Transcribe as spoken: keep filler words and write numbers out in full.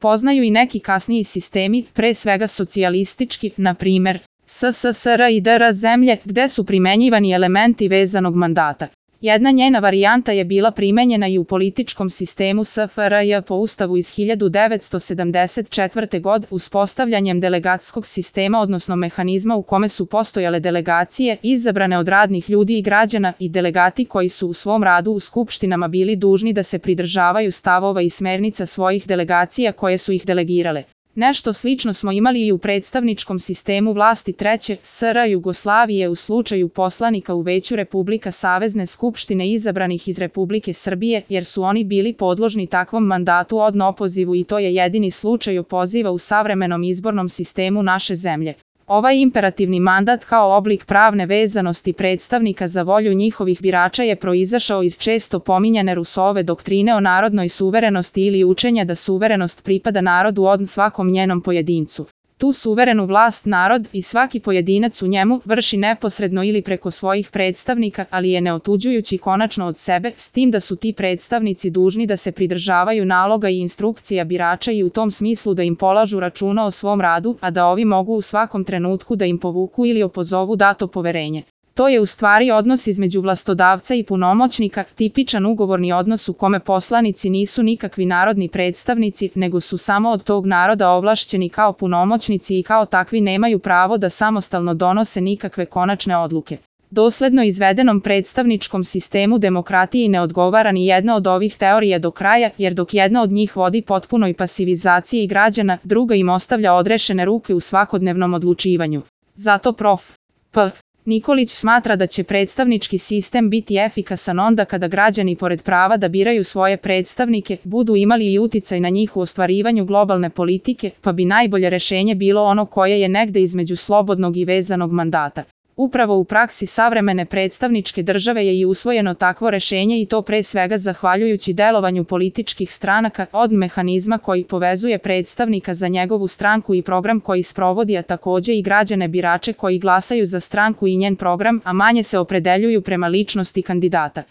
poznaju i neki kasniji sistemi, pre svega socijalistički, na primer S S S R i D R zemlje, gde su primenjivani elementi vezanog mandata. Jedna njena varijanta je bila primenjena i u političkom sistemu S F R J po ustavu iz hiljadu devetsto sedamdeset četvrte. godine uspostavljanjem delegatskog sistema, odnosno mehanizma u kome su postojale delegacije izabrane od radnih ljudi i građana i delegati koji su u svom radu u skupštinama bili dužni da se pridržavaju stavova i smernica svojih delegacija koje su ih delegirale. Nešto slično smo imali i u predstavničkom sistemu vlasti Treće S R Jugoslavije u slučaju poslanika u Veću Republika Savezne skupštine izabranih iz Republike Srbije, jer su oni bili podložni takvom mandatu od opozivu i to je jedini slučaj opoziva u savremenom izbornom sistemu naše zemlje. Ovaj imperativni mandat kao oblik pravne vezanosti predstavnika za volju njihovih birača je proizašao iz često pominjane Rousseauove doktrine o narodnoj suverenosti ili učenja da suverenost pripada narodu od svakom njenom pojedincu. Tu suverenu vlast narod i svaki pojedinac u njemu vrši neposredno ili preko svojih predstavnika, ali je neotuđujući konačno od sebe, s tim da su ti predstavnici dužni da se pridržavaju naloga i instrukcija birača i u tom smislu da im polažu računa o svom radu, a da ovi mogu u svakom trenutku da im povuku ili opozovu dato poverenje. To je u stvari odnos između vlastodavca i punomoćnika, tipičan ugovorni odnos u kome poslanici nisu nikakvi narodni predstavnici, nego su samo od tog naroda ovlašćeni kao punomoćnici i kao takvi nemaju pravo da samostalno donose nikakve konačne odluke. Dosledno izvedenom predstavničkom sistemu demokratiji ne odgovara ni jedna od ovih teorija do kraja, jer dok jedna od njih vodi potpunoj pasivizaciji građana, druga im ostavlja odrešene ruke u svakodnevnom odlučivanju. Zato prof. P. Nikolić smatra da će predstavnički sistem biti efikasan onda kada građani pored prava da biraju svoje predstavnike, budu imali i uticaj na njih u ostvarivanju globalne politike, pa bi najbolje rešenje bilo ono koje je negde između slobodnog i vezanog mandata. Upravo u praksi savremene predstavničke države je i usvojeno takvo rešenje i to pre svega zahvaljujući delovanju političkih stranaka od mehanizma koji povezuje predstavnika za njegovu stranku i program koji sprovodi, a takođe i građane birače koji glasaju za stranku i njen program, a manje se opredeljuju prema ličnosti kandidata.